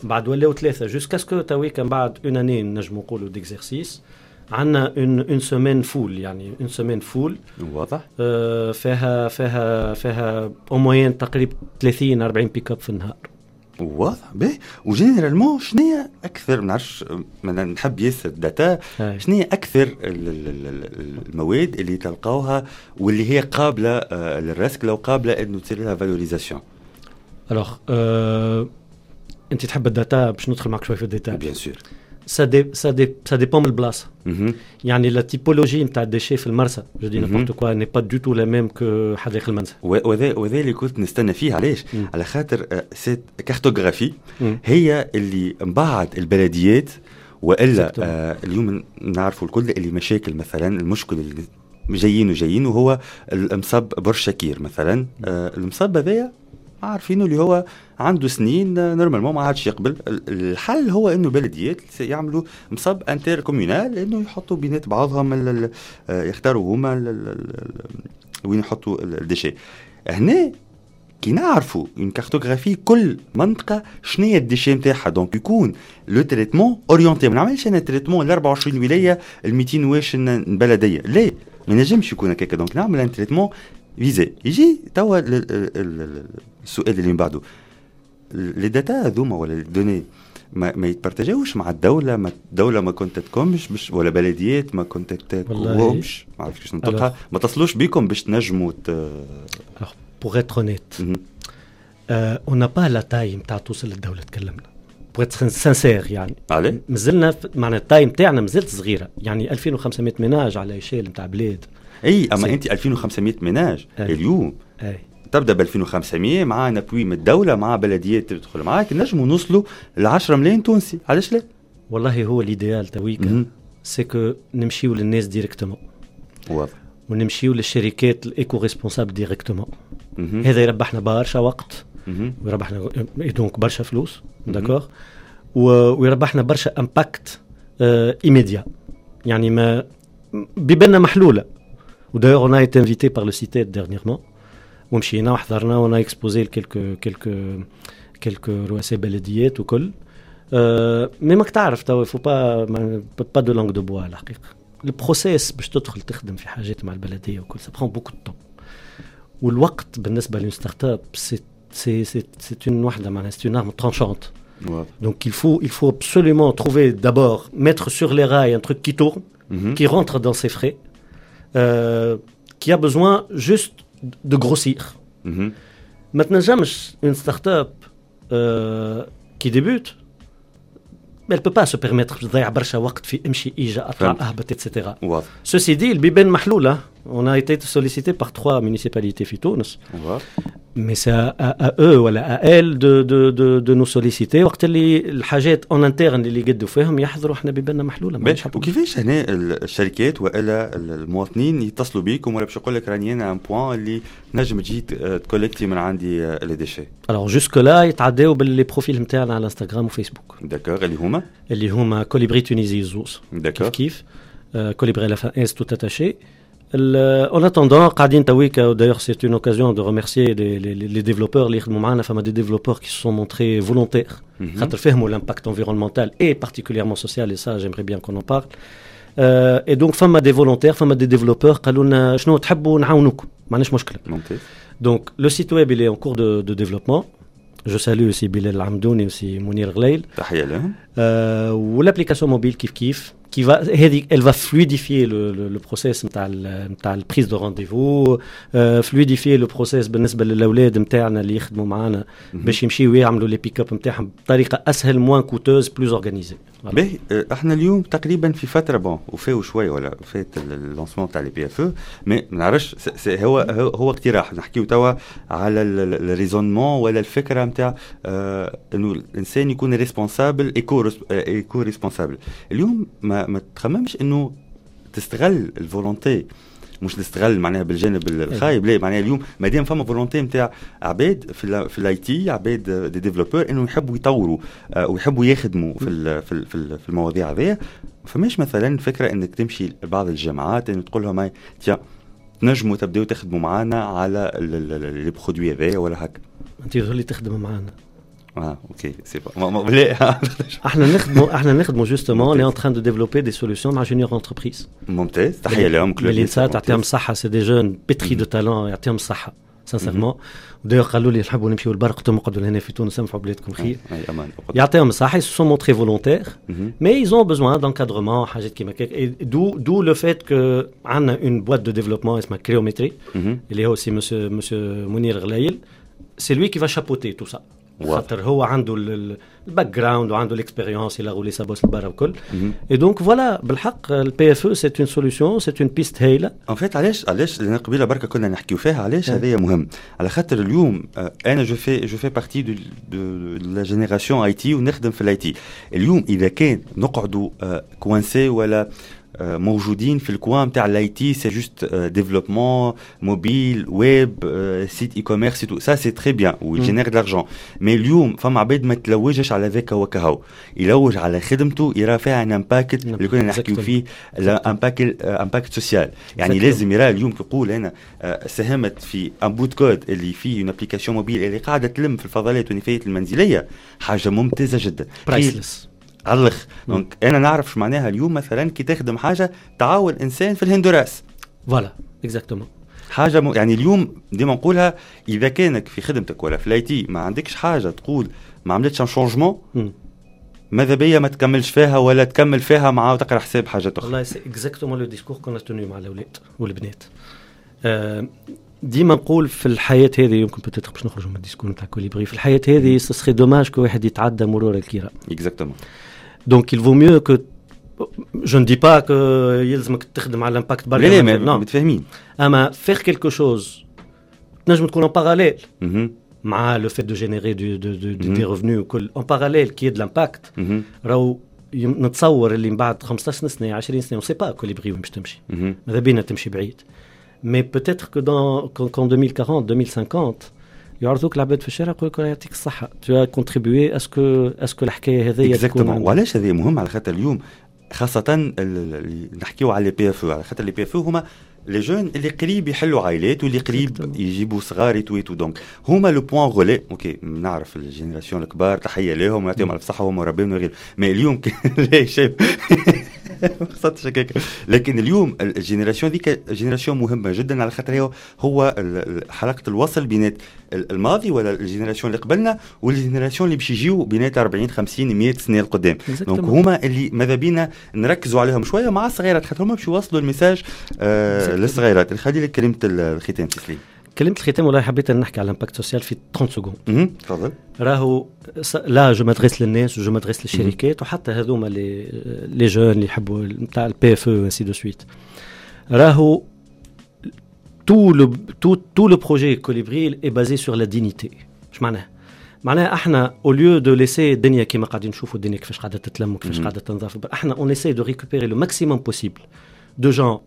[SPEAKER 6] بعد ولاو ثلاثة jusqu'à ce que تويكا بعد une année نجموا نقولوا d'exercice عندنا une semaine full، يعني une semaine full.
[SPEAKER 2] واضح.
[SPEAKER 6] فيها en moyenne تقريبا 30 40 pick-up في النهار.
[SPEAKER 2] واضح. باهي، و généralement شنو هي اكثر، ما نعرفش، نحب ياسر data، شنو هي اكثر المواد اللي تلقاوها واللي هي قابله للرسكله وقابله انه تصير لها valorisation؟
[SPEAKER 6] alors انت تحب ال data، باش ندخل معك شوية في ال data.
[SPEAKER 2] bien sûr.
[SPEAKER 6] ça dépend من البلاصه. يعني la typologie نتاع ال déchets في المرسى، je dis n'importe quoi، n'est pas du tout la même que حدائق المنزه.
[SPEAKER 2] وهذا اللي كنت نستنى فيه. علاش؟ على خاطر cette cartographie هي اللي من بعد البلديات والا اليوم نعرفوا الكل اللي مشاكل، مثلا المشكل اللي جايين وجايين وهو المصب برج شاكير مثلا. المصب هذايا عارفينه اللي هو عنده سنين، normalement ما عادش يقبل. الحل هو انه البلديات يعملوا مصب intercommunal، انه يحطوا بينات بعضهم، يختاروا هما وين يحطوا ال déchets. هنا كي نعرفوا une cartographie كل منطقة شنو هي ال déchets نتاعها، donc يكون le traitement orienté. ما نعملش انا traitement ل 24 ولايه، ال 200 واش بلديه، لا، ما نجمش يكون هكاك. donc نعمل un traitement visé. يجي توا السؤال اللي من بعده: les data هذوما ولا les données ما يتبارتاجوش مع الدوله؟ ما الدولة ما كونتاكتكمش باش، ولا بلديات ما كونتاكتكمش، ما عرفتش كيفاش ننطقها، ما تصلوش بكم باش تنجموا؟
[SPEAKER 6] pour être honnête، on n'a pas la taille نتاع توصل للدولة تكلمنا، pour être sincère يعني.
[SPEAKER 2] عليه؟
[SPEAKER 6] مازلنا معناها ال taille نتاعنا مازالت صغيره، يعني 2500 ménages على échelle نتاع بلاد.
[SPEAKER 2] اي، اما انت 2500 ménages اليوم تبدا ب 2500 مع un appui من الدوله، مع بلديات تدخل معاك، نجموا نوصلوا ل 10 ملايين تونسي، علاش لا؟
[SPEAKER 6] والله هو l'idéal تويكا c'est que نمشيو للناس directement ونمشيو للشركات ال éco-responsables directement. هذا يربحنا برشا وقت ويربحنا donc برشا فلوس، d'accord، ويربحنا برشا impact immédiat. يعني ما بيباننا محلوله. و d'ailleurs on a été invité par le CITED dernièrement، ومشينا وحضرنا، on a exposé quelques رؤساء بلديات وكل. Mais ماك تعرف توا، faut pas de langue de bois. الحقيقة ال processus باش تدخل تخدم في حاجات مع البلدية وكل، ça prend beaucoup de temps، والوقت بالنسبة ل une startup c'est une واحدة معناها c'est une arme tranchante. Donc il faut absolument trouver d'abord, mettre sur les rails un truc qui tourne, qui rentre dans ses frais, qui a besoin juste de grossir. ما تنجمش une start-up qui débute، elle peut pas se permettre تضيع برشا وقت في امشي ايجا اطلع اهبط et cetera. Ceci dit، البيبان محلوله. On a été sollicité par trois municipalités في تونس. Mais c'est à eux ولا à elles de nous solliciter وقت اللي الحاجات en interne اللي يقدوا فيهم يحضروا، احنا بيباننا محلوله.
[SPEAKER 2] وكيفاش هنا الشركات والا المواطنين يتصلوا بيكم، ولا باش يقول لك راني انا un point اللي نجم تجي تكولكتي من عندي les déchets؟
[SPEAKER 6] alors jusque-là يتعداو بال les profils نتاعنا على انستغرام وفيسبوك.
[SPEAKER 2] d'accord، اللي هما؟
[SPEAKER 6] اللي هما Colibri Tunisie زوز.
[SPEAKER 2] d'accord.
[SPEAKER 6] كيف كيف Colibri la fin S tout attaché. En attendant, قاعدين تويكا، d'ailleurs c'est une occasion de remercier les développeurs اللي يخدموا معنا. فما des développeurs qui se sont montrés volontaires خاطر فهموا l'impact environnemental et particulièrement social، et ça j'aimerais bien qu'on en parle. Et donc فما des volontaires، فما des développeurs قالوا لنا شنو تحبوا نعاونوكم، ما عندناش مشكله. Donc le site web il est en cours de développement. Je salue aussi Bilal Amdouni aussi Mounir Ghlail.
[SPEAKER 2] تحية لهم.
[SPEAKER 6] و l'application mobile كيف كيف qui va هذه elle va fluidifier le process نتاع ال prise de rendez-vous، fluidifier le process بالنسبة للاولاد نتاعنا اللي يخدموا معنا باش يمشيو يعملوا les pick-up نتاعهم بطريقة اسهل، moins coûteuse، plus organisée.
[SPEAKER 2] باهي، احنا اليوم تقريبا في فترة bon وفاو شوية ولا فات ال lancement تاع les PFE، mais ما نعرفش، هو اقتراح، نحكيو توا على ال raisonnement ولا الفكرة نتاع انه الانسان يكون responsable، éco-responsable. اليوم ما تخممش انه تستغل ال volonté، مش نستغل معناها بالجانب الخايب، لا، معناها اليوم ما دام فما volonté نتاع عباد في ال IT، عباد des développeurs، انه يحبوا يطوروا ويحبوا يخدموا في المواضيع هذيا، فماش مثلا فكرة انك تمشي لبعض الجامعات انه تقول لهم tiens، تنجموا تبداو تخدموا معنا على les produits هذايا ولا هكا؟
[SPEAKER 6] انت اللي تخدم معنا.
[SPEAKER 2] اه OK، c'est pas لا.
[SPEAKER 6] احنا نخدموا justement، on est en train de développer des solutions مع Junior Entreprise.
[SPEAKER 2] ممتاز، تحية لهم.
[SPEAKER 6] كل تعطيهم الصحه، c'est des jeunes pétris de talent، يعطيهم الصحه. sincèrement. D'ailleurs قالوا لي نحبوا نمشيو للبر، قلت لهم اقعدوا لهنا في تونس انفعوا بلادكم خير. يعطيهم الصحة، ils se sont montrés volontaires, mais ils ont besoin d'encadrement حاجات كيما هكاك. D'où le fait que عندنا une boîte de développement اسمها Créométrie اللي هو c'est monsieur منير غلايل، c'est lui qui va chapeauter tout ça. خاطر هو عنده ال background وعنده l'expérience، il a roulé sa bosse لبرا وكل. et donc voilà بالحق ال PFE c'est une solution، c'est une piste هايلة.
[SPEAKER 2] en fait علاش لان قبيلة بركة كنا نحكيو فيها، علاش هذايا مهم؟ على خاطر اليوم انا je fais partie de la génération IT ونخدم في ال IT. اليوم اذا كان نقعدوا coincés ولا موجودين في ال coin تاع l'IT، c'est juste développement mobile web site e-commerce tout ça c'est très bien و génère de l'argent، mais اليوم فما عباد ما تلوجش على ذاك وكهو، يلوج على خدمته يرى فيها un impact اللي كنا نحكيو فيه، impact social. يعني لازم يرى اليوم كيقول انا ساهمت في un bout de code اللي فيه une application mobile اللي قاعدة تلم في الفضلات والنفايات المنزلية، حاجة ممتازة جدا،
[SPEAKER 6] priceless
[SPEAKER 2] على الاخر. donc انا نعرف شو معناها اليوم مثلا كي تخدم حاجة تعاون انسان في الهندوراس،
[SPEAKER 6] voilà exactement
[SPEAKER 2] حاجة يعني اليوم ديما نقولها، اذا كانك في خدمتك ولا في ال IT ما عندكش حاجة تقول ما عملتش un changement، ماذا بيا ما تكملش فيها ولا تكمل فيها مع وتقرا حساب حاجة اخرى.
[SPEAKER 6] والله c'est exactement le discours qu'on a tenu مع الاولاد والبنات. ديما نقول في الحياة هذه، يمكن peut-être باش نخرجوا من ال discours نتاع كوليبري، في الحياة هذه ce serait dommage que واحد يتعدى مرور الكرام.
[SPEAKER 2] exactement.
[SPEAKER 6] Donc il vaut mieux que je ne dis pas que يلزمك تخدم على l'impact برا،
[SPEAKER 2] لا لا متفاهمين،
[SPEAKER 6] اما faire quelque chose تنجم تكون en parallèle مع le fait de générer des revenus وكل en parallèle qui est de l'impact. راهو نتصور اللي من بعد 15 سنة 20 سنة on sait pas كوليبري وين باش تمشي، ماذا بينا تمشي بعيد، mais peut-être que dans qu'en 2040 2050 يعرضوك العباد في الشارع يقول لك يعطيك الصحة tu as contribué à ce que الحكاية هذيا
[SPEAKER 2] تكون. وعلاش هذا مهم؟ على خاطر اليوم خاصة نحكيو على les PFE، على خاطر les PFE هما les jeunes اللي قريب يحلوا عائلات واللي قريب يجيبوا صغار et tout، donc هما le point relais. OK نعرف ال génération الكبار تحية لهم ويعطيهم الف صحة وهم مربيين وغيره، mais اليوم لا شيء ما قصدتش هكاك، لكن اليوم ال génération ديك génération مهمة جدا، على خاطر هو حلقة الوصل بينات الماضي ولا ال génération اللي قبلنا وال génération اللي باش يجيو بينات 40 50 100 سنة القدام. donc هما اللي ماذا بينا نركزوا عليهم شوية مع الصغيرات، خاطر هما باش يوصلوا ال message للصغيرات. نخلي لك كلمة الختام سليم.
[SPEAKER 6] كلمة الختام والله حبيت نحكي على l'impact social في 30 secondes.
[SPEAKER 2] تفضل.
[SPEAKER 6] راهو là je m'adresse للناس و je m'adresse للشركات وحتى هذوما les jeunes اللي يحبوا نتاع ال PFE ainsi de suite. راهو tout le projet Colibri est basé sur la dignité. اش معناها؟ معناها احنا au lieu de laisser الدنيا كيما قاعدين نشوفوا الدنيا كيفاش قاعدة تتلم وكيفاش قاعدة تنظف، احنا on essaie de récupérer le maximum possible de gens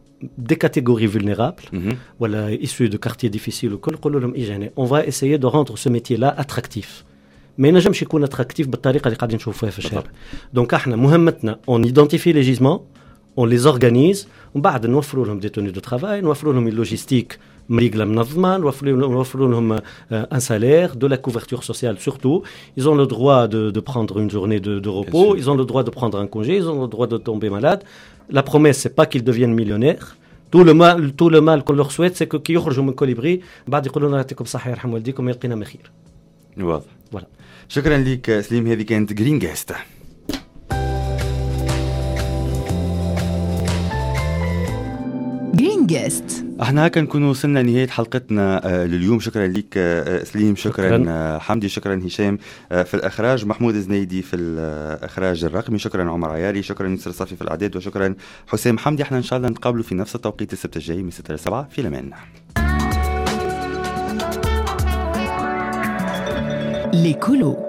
[SPEAKER 6] des catégories vulnérables, voilà, issus de quartiers difficiles ou on va essayer de rendre ce métier-là attractif. Mais نجمش يكون attractif بالطريقة اللي قاعدين نشوفوها في الشارع. Donc احنا مهمتنا on identifie les gisements, on les organise, ومن بعد نوفروا لهم des tenues de travail, نوفروا لهم logistique مريقلة منظمة, نوفروا لهم un salaire, de la couverture sociale surtout. Ils ont le droit de prendre une journée de repos, ils ont le droit de prendre un congé, ils ont le droit de tomber malade. La promesse, c'est pas qu'ils deviennent millionnaires. Tout le mal qu'on leur souhaite, c'est que كي يخرجوا من كوليبري بعد يقولوا لنا يعطيكم الصحة يرحم والديكم يلقينا ما خير.
[SPEAKER 2] واضح.
[SPEAKER 6] voilà.
[SPEAKER 2] شكرا لك سليم، هذه كانت Green Guest.
[SPEAKER 1] Green Guest.
[SPEAKER 2] احنا هكا نكون وصلنا لنهاية حلقتنا لليوم. شكرا لك سليم، شكرا حمدي، شكرا هشام في الإخراج، محمود زنيدي في الإخراج الرقمي، شكرا عمر عياري، شكرا يسر صافي في الإعداد، وشكرا حسام حمدي. احنا إن شاء الله نتقابلوا في نفس التوقيت السبت الجاي من 6 ل 7 في الأمان.
[SPEAKER 1] ليكولو.